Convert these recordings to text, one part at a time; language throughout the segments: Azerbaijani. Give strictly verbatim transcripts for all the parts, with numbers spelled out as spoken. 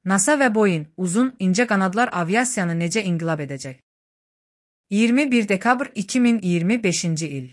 NASA və Boeing uzun, incə qanadlar aviasiyanı necə inqilab edəcək? iyirmi bir dekabr iki min iyirmi beşinci il.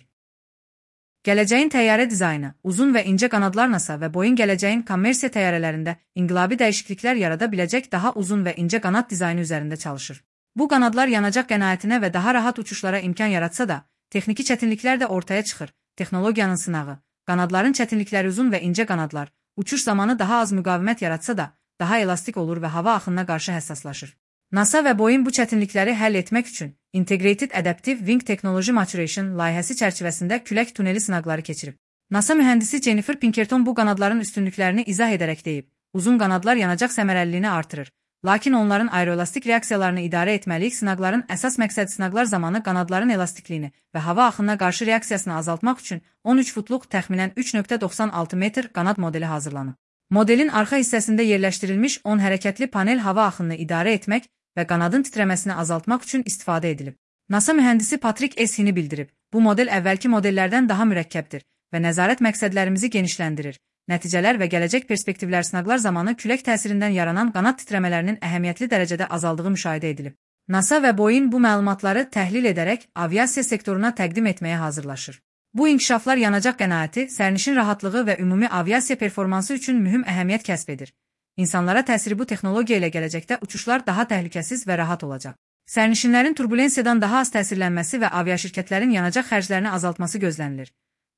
Gələcəyin təyyarə dizaynı, uzun və incə qanadlar NASA və Boeing gələcəyin kommersiya təyyarələrində inqilabi dəyişikliklər yarada biləcək daha uzun və incə qanad dizaynı üzərində çalışır. Bu qanadlar yanacaq qənaətinə və daha rahat uçuşlara imkan yaratsa da, texniki çətinliklər də ortaya çıxır. Texnologiyanın sınağı, qanadların çətinlikləri uzun və incə qanadlar, uçuş zamanı daha az müqavimət yaratsa da, daha elastik olur və hava axınına qarşı həssaslaşır. NASA və Boeing bu çətinlikləri həll etmək üçün Integrated Adaptive Wing Technology Maturation layihəsi çərçivəsində külək tuneli sınaqları keçirib. NASA mühəndisi Jennifer Pinkerton bu qanadların üstünlüklərini izah edərək deyib, uzun qanadlar yanacaq səmərəliliyini artırır, lakin onların aeroelastik reaksiyalarını idarə etməliyik. Sınaqların əsas məqsədi sınaqlar zamanı qanadların elastikliyini və hava axınına qarşı reaksiyasını azaltmaq üçün on üç futluq təxminən üç nöqtə doxsan altı metr qanad modeli hazırlanıb. Modelin arxa hissəsində yerləşdirilmiş on hərəkətli panel hava axınını idarə etmək və qanadın titrəməsini azaltmaq üçün istifadə edilib. NASA mühəndisi Patrick Eshini bildirib, bu model əvvəlki modellərdən daha mürəkkəbdir və nəzarət məqsədlərimizi genişləndirir. Nəticələr və gələcək perspektivlər sınaqlar zamanı külək təsirindən yaranan qanad titrəmələrinin əhəmiyyətli dərəcədə azaldığı müşahidə edilib. NASA və Boeing bu məlumatları təhlil edərək aviasiya sektoruna təqdim etməyə hazırlaşır. Bu inkişaflar yanacaq qənaəti, sərnişin rahatlığı və ümumi aviasiya performansı üçün mühüm əhəmiyyət kəsb edir. İnsanlara təsiri bu texnologiya ilə gələcəkdə uçuşlar daha təhlükəsiz və rahat olacaq. Sərnişinlərin turbulensiyadan daha az təsirlənməsi və aviaşirkətlərin yanacaq xərclərini azaltması gözlənilir.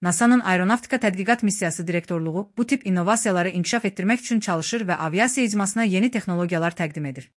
NASA'nın Aeronavtika Tədqiqat Missiyası direktorluğu bu tip innovasiyaları inkişaf etdirmək üçün çalışır və aviasiya icmasına yeni texnologiyalar təqdim edir.